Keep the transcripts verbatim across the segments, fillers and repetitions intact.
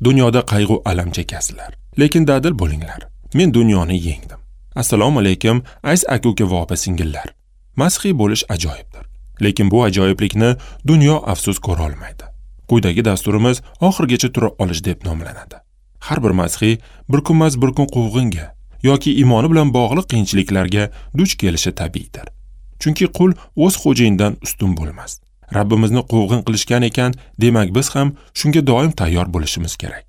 Dunyoda qayg'u alam chekasizlar, lekin dadil bo'linglar. Men dunyoni yengdim. Assalomu alaykum, aziz aka-uka va opa-singillar. Masihiy bo'lish ajoyibdir, lekin bu ajoyiblikni dunyo afsus ko'ra olmaydi. Quyidagi dasturimiz oxirigacha tura olish deb nomlanadi. Har bir masihiy bir kunmas bir kun quvg'inga yoki iymoni bilan bog'liq qiyinchiliklarga duch kelishi tabiiydir. Chunki qul o'z xo'jayinidan ustun bo'lmas. Rabbimizni quvg'in qilishgan ekan, demak biz ham shunga doim tayyor bo'lishimiz kerak.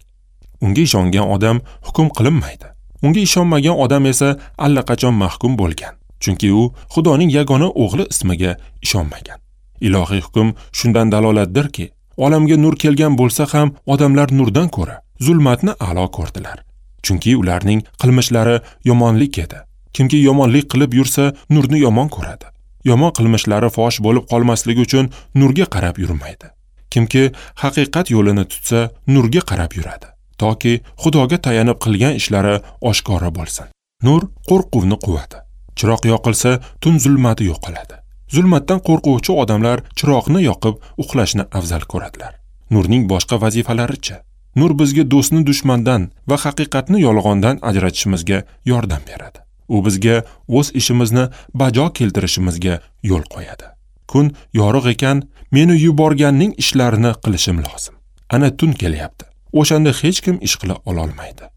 Unga ishongan odam hukm qilinmaydi. Unga ishonmagan odam esa allaqachon mahkum bo'lgan. Chunki u Xudoning yagona o'g'li ismiga ishonmagan. Ilohiy hukm shundan dalolatdirki, olamga nur kelgan bo'lsa ham odamlar nurdan ko'ra zulmatni a'lo ko'rdilar. Chunki ularning qilmishlari yomonlik edi. Kimki yomonlik qilib yursa, nurni yomon ko'radi. Yomon qilmishlari fosh bo'lib qolmasligi uchun nurga qarab yurmaydi. Kimki haqiqat yo'lini tutsa, nurga qarab yuradi, toki Xudoga tayanib qilgan ishlari oshkora bo'lsin. Nur qo'rquvni quvadi. Chiroq yoqilsa, tun zulmati yo'qoladi. Zulmatdan qo'rquvchi odamlar chiroqni yoqib uxlashni afzal ko'radilar. Nurning boshqa vazifalarichi? Nur bizga do'stni dushmandan va haqiqatni yolg'ondan ajratishimizga yordam beradi. U bizga o'z ishimizni bajo keltirishimizga yo'l qo'yadi. Kun yorug' ekan, meni yuborganning ishlarini qilishim lozim. Ana tun kelyapti. O'shanda hech kim ish qila ololmaydi.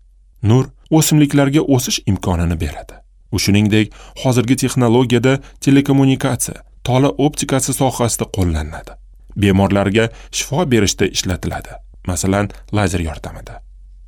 Nur o'simliklarga o'sish imkonini beradi. U shuningdek, hozirgi texnologiyada telekommunikatsiya, tola optikasi sohasida qo'llaniladi. Bemorlarga shifo berishda ishlatiladi, masalan, lazer yordamida.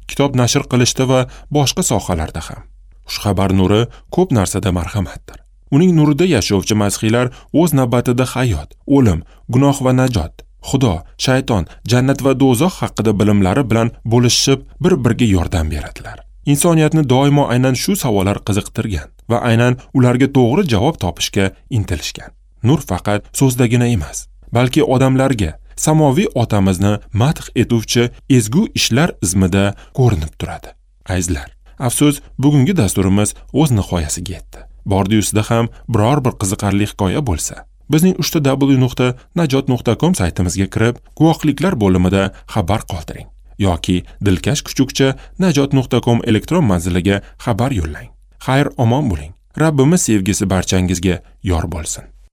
Kitob nashr qilishda va boshqa sohalarda ham. Xushxabar nuri ko'p narsada marhamatdir. Uning nurida yashovchi masihiylar o'z navbatida hayot, o'lim, gunoh va najot, Xudo, shayton, jannat va do'zax haqida bilimlari bilan bo'lishib, bir-biriga yordam beradilar. Insoniyatni doimo aynan shu savollar qiziqtirgan va aynan ularga to'g'ri javob topishga intilishgan. Nur faqat so'zdagina emas, balki odamlarga samoviy otamizni madh etuvchi ezgu ishlar izmida ko'rinib turadi. Azizlar, afsus, bugungi dasturimiz o'z nihoyasiga yetdi. Bordi-yusida ham biror bir qiziqarli hikoya bo'lsa, bizning uch ta w nuqta najot nuqta com saytimizga kirib, guvohliklar bo'limida xabar qoldiring yoki dilkash kuchukcha najot nuqta com elektron manziliga xabar yo'llang. Xayr, omon bo'ling. Rabbimiz sevgisi barchangizga yor bo'lsin.